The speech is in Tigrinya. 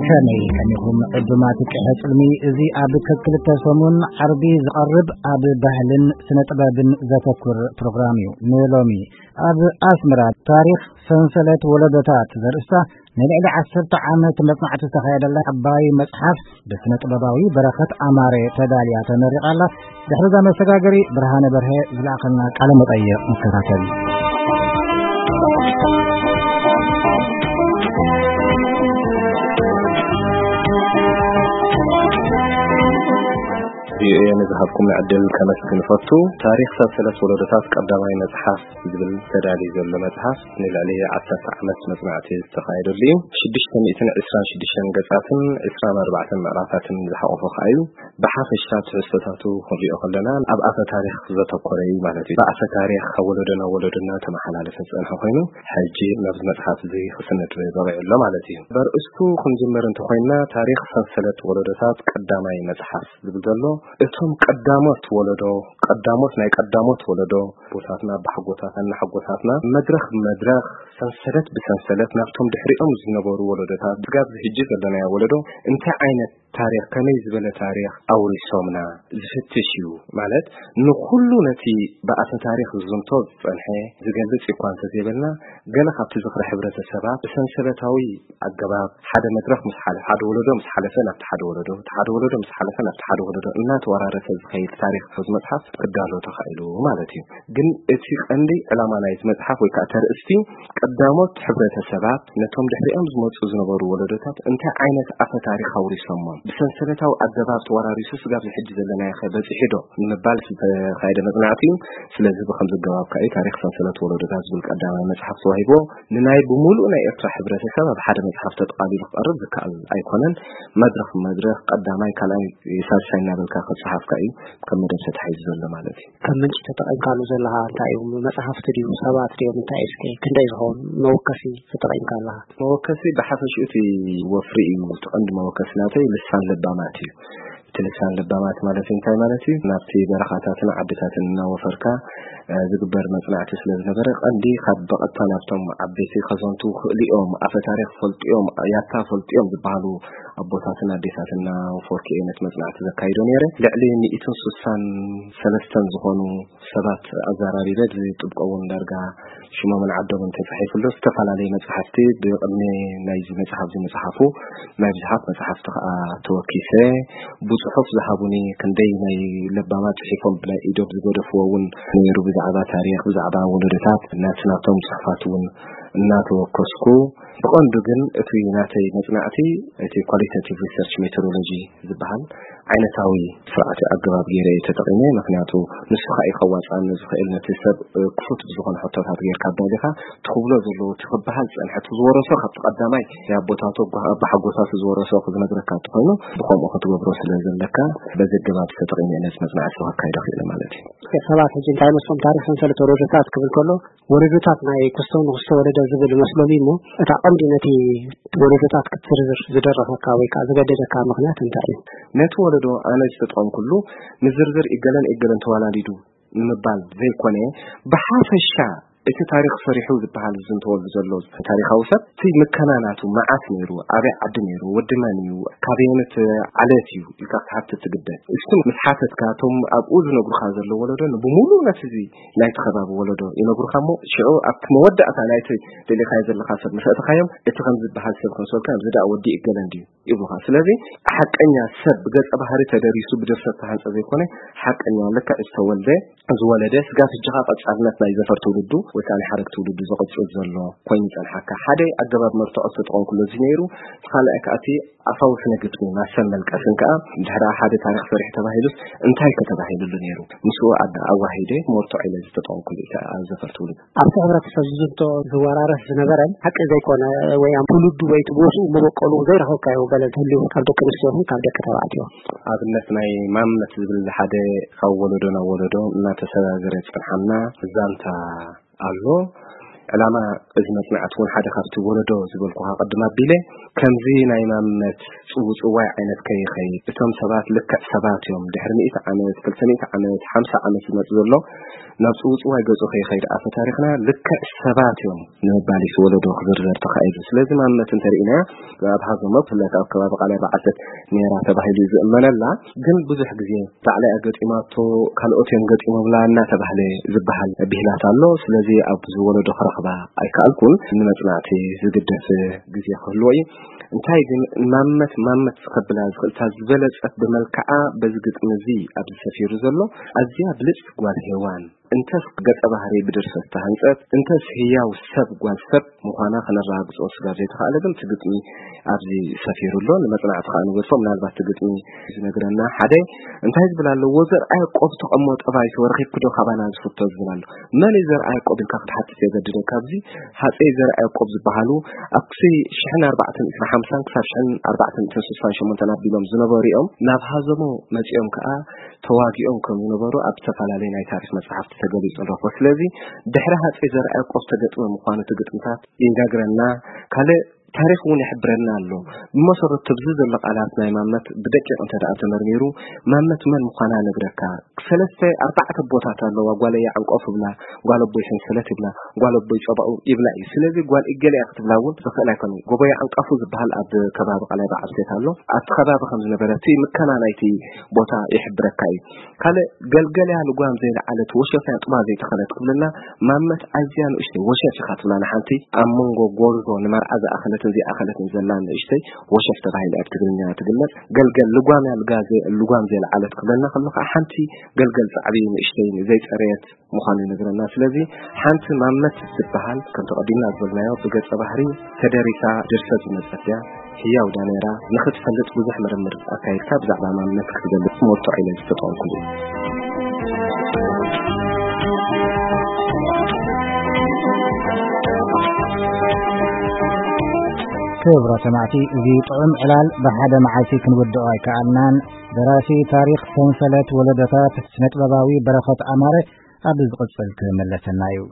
ከመይ ከሚኹም ዕዱማት ቀሐ ጽልሚ? እዚ ኣብ ክልተ ሰሙን ዓርቢ ዝቐርብ ኣብ ባህልን ስነ ጥበብን ዘተኩር ፕሮግራም እዩ። ንሎሚ ኣብ ኣስመራ ታሪኽ ሰንሰለት ወለዶታት ዘርእስታ ንልዕሊ ዓሰርተ ዓመት መጽናዕቲ ዝተኻየደላ ዓባይ መጽሓፍ ብስነ ጥበባዊ በረኸት ኣማረ ተዳልያ ተመሪቓ ኣላ። ድሕሪ እዛ መሰጋገሪ ብርሃነ በርሀ ዝለኣኸልና ቃለ መጠይቕ ንከታተል። ቪኦኤ ንዝሃብኩም ዕድል ከመስግን እፈቱ። ታሪኽ ሰንሰለት ወለዶታት ቀዳማይ መጽሓፍ ዝብል ተዳልዩ ዘሎ መጽሓፍ ንልዕሊ ዓሰርተ ዓመት መጽናዕቲ ዝተኻየደሉ እዩ። ሽዱሽተ ሚእትን ዕስራን ሽዱሽተን ገጻትን ዕስራን ኣርባዕተን ምዕራፋትን ዝሓቖፈ ከኣ እዩ። ብሓፈሻ ትሕዝቶታቱ ክንሪኦ ከለና ኣብ ኣፈ ታሪኽ ዘተኮረ እዩ ማለት እዩ። ብኣፈ ታሪኽ ካብ ወለዶ ናብ ወለዶ እናተመሓላለፈ ዝጸንሐ ኮይኑ፣ ሕጂ ናብዚ መጽሓፍ እዚ ክስነድ በቒዑ ኣሎ ማለት እዩ። በርእስቱ ክንጅምር እንተኾይንና፣ ታሪኽ ሰንሰለት ወለዶታት ቀዳማይ መጽሓፍ ዝብል ዘሎ፣ እቶም ቀዳሞት ወለዶ፣ ቀዳሞት ናይ ቀዳሞት ወለዶ፣ ኣቦታትና፣ ኣቦሓጎታትና፣ ኣሓጎታትና፣ መድረኽ ብመድረኽ፣ ሰንሰለት ብሰንሰለት፣ ናብቶም ድሕሪኦም ዝነበሩ ወለዶታት፣ ስጋብ እዚ ሕጂ ዘለናዮ ወለዶ፣ እንታይ ዓይነት ታሪኽ፣ ከመይ ዝበለ ታሪኽ ኣውሪሶምና ዝፍትሽ እዩ። ማለት፣ ንኹሉ ነቲ ብኣፈ ታሪኽ ዝዝንቶ ዝጸንሐ ዝገልጽ እኳ እንተዘይበልና፣ ገለ ካብቲ ዝኽሪ ሕብረተሰባት ብሰንሰለታዊ ኣገባብ ሓደ መድረኽ ምስ ሓለ-፣ ሓደ ወለዶ ምስ ሓለፈ ናብቲ ሓደ ወለዶ፣ እቲ ሓደ ወለዶ ምስ ሓለፈ ናብቲ ሓደ ወለዶ እናተወራረሰ ዝኸይድ ታሪኽ እዚ መጽሓፍ ክዳሎ ተኻኢሉ ማለት እዩ። ግን እቲ ቀንዲ ዕላማ ናይዚ መጽሓፍ ወይ ከዓ ተርእስቲ ቀዳሞት ሕብረተሰባት ነቶም ድሕሪኦም ዝመጹ ዝነበሩ ወለዶታት እንታይ ዓይነት ኣፈ ታሪኽ ኣውሪሶሞም፣ ብሰንሰለታዊ ኣገባብ ተወራሪሱ ስጋብ ሕጂ ዘለናዮ ኸ በጺሑ ዶ ንምባል ዝተኻየደ መጽናዕቲ እዩ። ስለዚ ብኸምዚ ኣገባብ ከኣ እዩ ታሪኽ ሰንሰለት ወለዶታት ዝብል ቀዳማይ መጽሓፍ ተዋሂብዎ። ንናይ ብምሉእ ናይ ኤርትራ ሕብረተሰብ ኣብ ሓደ መጽሓፍ ተጠቓሊሉ ክቐርብ ዝከኣል ኣይኮነን። መድረኽ ብመድረኽ ቀዳማይ፣ ካልኣይ፣ ሳልሳይ እናበልካ ክጸሓፍ ከኣ እዩ ከም መደብ ተታሒዙ ዘሎ ማለት እዩ። ከም ምንጪ ተጠቒምካሉ ዘለኻ እንታይ እዩ? መጽሓፍቲ ድዩ? ሰባት ድዮም? እንታይ እዩ? እስከ ክንደይ ዝኸውን መወከሲ ተጠቒምካ ኣለኻ? መወከሲ ብሓፈሽኡ እቲ ወፍሪ እዩ። እቲ ቀንዲ መወከሲ ናተይ ልሳን ለባማት እዩ። እቲ ልሳን ለባማት ማለት እንታይ ማለት እዩ? ናብቲ በረኻታትን ዓድታትን እናወፈርካ፣ እ፣ ዝግበር መጽናዕቲ ስለ ዝነበረ፣ ቀንዲ ካብ ብቐጥታ ናብቶም ዓበይቲ ከዘንቱ ክእልኦም፣ ኣፈ ታሪኽ ፈልጥዮም፣ ያታ ፈልጥዮም ዝበሃሉ ኣቦታትን ኣዴታትን እናወፈርኩ እየ ነቲ መጽናዕቲ ዘካይዶ ነይረ። ልዕሊ ሚእትን ስሳን ሰለስተን ዝኾኑ ሰባት ኣዘራሪበ፣ እዚ ጥብቆ እውን ዳርጋ ሽሞምን ዓዶምን ተጻሒፉሉ፣ ዝተፈላለዩ መጽሓፍቲ ብቕድሚ ናይዚ መጽሓፍ እዚ ምጽሓፉ ናይ ብዙሓት መጽሓፍቲ ከኣ ተወኪሰ፣ ብጽሑፍ ዝሃቡኒ ክንደይ ናይ ለባማት ጽሒፎም ብናይ ኢዶም ዝገደፍዎ እውን ነይሩ፣ ብዛዕባ ታሪኽ፣ ብዛዕባ ወለዶታት ናቲ ናቶም ጽሑፋት እውን እናተወከስኩ፣ ብቐንዱ ግን እቲ ናተይ መጽናዕቲ እቲ ኳሊታቲቭ ሪሰርች ሜቶዶሎጂ ዝበሃል ዓይነታዊ ስርዓት ኣገባብ ገይረ እየ ተጠቒመ። ምኽንያቱ ንሱ ኸኣ እዩ ከዋጽኣኒ ዝኽእል፣ ነቲ ሰብ፣ እ፣ ክፉት ብዝኾነ ሕቶታት ጌርካ ኣዳሊኻ፣ እቲ ክብሎ ዘለዎ፣ እቲ ክበሃል ዝጸንሐ፣ እቲ ዝወረሶ ካብቲ ቀዳማይ ናይ ኣቦታቱ፣ ኣቦ-፣ ኣቦሓጎታቱ ዝወረሶ ክዝነግረካ እንተኾይኑ፣ ብኸምኡ ክትገብሮ ስለ ዘለካ፣ በዚ ኣገባብ ተጠቒመ እየ ነዚ መጽናዕቲ ከካይዶ ክኢለ ማለት እዩ። ሰባት ሕጂ እንታይ መስሎም፣ ታሪኽ ሰንሰለት ወለዶታት ክብል ከሎ፣ ወለዶታት ናይ ክስቶ ንክስቶ ወለደ ዝብል መስሎም እዩ እሞ፣ እታ ቀንዲ ነቲ ወለዶታት ክትዝርዝር ዝደረኸካ ወይ ከዓ ዝገደደካ ምኽንያት እንታይ እዩ? ነቲ ወለዶ ኣነ ዝተጠቐምኩሉ፣ ምዝርዝር ኢገለን ኢገለን ተዋላዲዱ ንምባል ዘይኮነ፣ ብሓፈሻ እቲ ታሪኽ ሰሪሑ ዝበሃል ዝዝንተወሉ ዘሎ ታሪኻዊ ሰብ፣ እቲ ምከና ናቱ መዓስ ነይሩ፣ ኣበይ ዓዲ ነይሩ፣ ወዲ መን እዩ፣ ካበየነት ዓለት እዩ ኢልካ ክትሓትት ትግደድ። እሱ ምስ ሓተትካ፣ እቶም ኣብኡ ዝነግሩኻ ዘለዉ ወለዶ ብሙሉእ ነቲ እዚ ናይቲ ከባቢ ወለዶ ይነግሩኻ እሞ፣ ሽዑ ኣብቲ መወዳእታ ናይቲ ደሊኻዮ ዘለኻ ሰብ ምስ ኣእተኻዮም፣ እቲ ከም ዝበሃል ሰብ ከምሰልካ፣ እዚ ደኣ ወዲ እገለ እንድዩ ይብሉኻ። ስለዚ ሓቀኛ ሰብ ብገጸ ባህሪ ተደሪሱ ብድርሰት ተሃንጸ ዘይኮነ፣ ሓቀኛ ልክዕ ዝተወልደ፣ ዝወለደ፣ ስጋብ ሕጂ ኸኣ ቀጻልነት ናይ ዘፈር ትውልዱ ወይ ከኣ ናይ ሓረግ ትውልዱ ዝቕጽል ዘሎ ኮይኑ ይጸንሓካ። ሓደ ኣገባብ መርትዖ ዝተጠቐምኩሉ እዚ ነይሩ። እቲ ካልኣይ ከኣ እቲ ኣፋዊ ስነ ግጥሚ ማሰን መልቀስን ከኣ፣ ድሕሪ ሓደ ታሪኽ ሰሪሑ ተባሂሉስ እንታይ ከተባሂሉሉ ነይሩ? ምስኡ ኣደ-፣ ኣዋሂደ መርትዖ ኢለ ዝተጠቐምኩሉ እቲ ኣብ ዘፈር ትውልዱ። ኣብቲ ሕብረተሰብ ዝዝንቶ ዝወራረስ ዝነበረን ሓቂ ዘይኮነ ወይ ኣብ ትውልዱ ወይ እቲ ቦስኡ መበቆሉ ዘይረኸብካዮ ገለ እንተልዩ ካብ ደቂ ኣንስትዮ ይኹን ካብ ደቂ ተባዕትዮ? ኣብነት ናይ ማምነት ዝብል ሓደ ካብ ወለዶ ናብ ወለዶ እናተሰጋገረ ዝጸንሓና ዛንታ ኣሎ። ዕላማ እዚ መጽናዕቲ እውን ሓደ ካብቲ ወለዶ ዝበልኩኻ ቅድም ኣቢለ፣ ከምዚ ናይ ማምነት ጽውጽዋይ ዓይነት ከይኸይድ፣ እቶም ሰባት ልክዕ ሰባት እዮም። ድሕሪ ሚእቲ ዓመት፣ ክልተ ሚእቲ ዓመት፣ ሓምሳ ዓመት ዝመጽእ ዘሎ ናብ ጽውጽዋይ ገጹ ከይኸይድ ኣፈ ታሪኽና ልክዕ ሰባት እዮም ንምባል እዩ ወለዶ ክዝርዘር ተኻኢሉ። ስለዚ ማመት እንተርኢና ኣብ ሃዞሞ ብፍላይ ኣብ ከባቢ ቃላይ በዓልተት ነይራ ተባሂሉ እዩ ዝእመነላ። ግን ብዙሕ ግዜ ባዕላ እያ ገጢማቶ፣ ካልኦት እዮም ገጢሞምላ እናተባህለ ዝበሃል ብሂላት ኣሎ። ስለዚ ኣብዚ ወለዶ ክረኽባ ኣይከኣልኩን። ንመጽናዕቲ ዝግደፍ ግዜ ክህልዎ እዩ። እንታይ ግን ማመት ማመት ከብላ ዝኽእልታ ዝበለጸት ብመልክዓ በዚ ግጥሚ እዚ ኣብዚ ሰፊሩ ዘሎ ኣዝያ ብልጽቲ ጓል ሄዋን እንተስ ገጸ ባህሪ ብድርሰት ተሃንጸት እንተስ ህያው ሰብ ጓል ሰብ ምዃና ከነረጋግጾ ስጋብ ዘይተኻእለ ግን እቲ ግጥሚ ኣብዚ ሰፊሩ ኣሎ። ንመጽናዕቲ ከኣ ንገድፎ። ምናልባት እቲ ግጥሚ ዝነግረና ሓደ እንታይ ዝብል ኣሎ? "ወዘርኣ ያዕቆብ ተቐሞ ጠባይቶ ረኺብክዶ ካባና ዝፍቶ?" ዝብል ኣሎ። መን እዩ ዘርኣ ያዕቆብ ኢልካ ክትሓትት የገድደካ። ኣብዚ ሃጸይ ዘርኣ ያዕቆብ ዝበሃሉ ኣብ ክሲ ሽሕን ኣርባዕተን ዕስራ ሓምሳን ክሳብ ሽሕን ኣርባዕተን ዕስራ ስሳን ሸሞንተን ኣቢሎም ዝነበሩ እዮም። ናብ ሃዘሞ መጺኦም ከኣ ተዋጊኦም ከም ዝነበሩ ኣብ ዝተፈላለዩ ናይ ታሪኽ መጽሓፍቲ ተገሊጹ ንረኽቦ። ስለዚ ድሕሪ ሃጸይ ዘርኣ ያዕቆብ ተገጥመ ምዃኑ እቲ ግጥምታት ይነግረና። ካልእ ታሪኽ እውን ይሕብረና ኣሎ። ብመሰረቱ ኣብዚ ዘሎ ቃላት ናይ ማመት ብደቂቕ እንተ ደኣ ተመርሚሩ፣ ማመት መን ምዃና ነግረካ። ሰለስተ ኣርባዕተ ቦታት ኣለዋ። ጓለይ ዓንቀፉ ይብላ፣ ጓል ኣቦይ ሰንሰለት ይብላ፣ ጓል ኣቦይ ጸባኡ ይብላ እዩ። ስለዚ ጓል እገለ እያ ክትብላ እውን ዝኽእል ኣይኮነን። ጎቦይ ዓንቀፉ ዝበሃል ኣብ ከባቢ ቃላይ በዓል ሴት ኣሎ። ኣብቲ ከባቢ ከም ዝነበረ እቲ ምከና ናይቲ ቦታ ይሕብረካ እዩ። ካልእ ገልገል እያ ልጓም ዘይለዓለት ወሸፍ እያ ጥባ ዘይተኸለት ክብለና ማመት ኣዝያ ንእሽተይ ወሸፍ ኢኻ ትብላ ንሓንቲ ኣብ መንጎ ጎርዞ ንመርዓ ዝኣኸለትን ዘይኣኸለትን ዘላ ንእሽተይ ወሸፍ ተባሂላ ኣብ ትግርኛ ትግለጽ። ገልገል ልጓም እያ ልጋ ዘ-፣ ልጓም ዘይለዓለት ክብለና ከሎ ከዓ ሓንቲ ገልገል ጻዕቢ ንእሽተይ ዘይጸረየት ምዃኑ ይነግረና። ስለዚ ሓንቲ ማመት ትበሃል ከም ተቐዲምና ዝበልናዮ ብገጸ ባህሪ ተደሪሳ ድርሰት ዝመጸት እያ። ህያው ዳ ነይራ ንኽትፈልጥ ብዙሕ ምርምር ኣካይድካ ብዛዕባ ማንነት ክትገልጽ መርትዖ ኢለ ዝተጠቐምኩሉ እዩ። ክቡራት ሰማዕቲ፣ እዚ ጥዑም ዕላል ብሓደ መዓልቲ ክንውድኦ ኣይከኣልናን። ደራሲ ታሪኽ ሰንሰለት ወለዶታት ስነጥበባዊ በረኸት ኣማረ ኣብ ዝቕጽል ክምለሰና እዩ።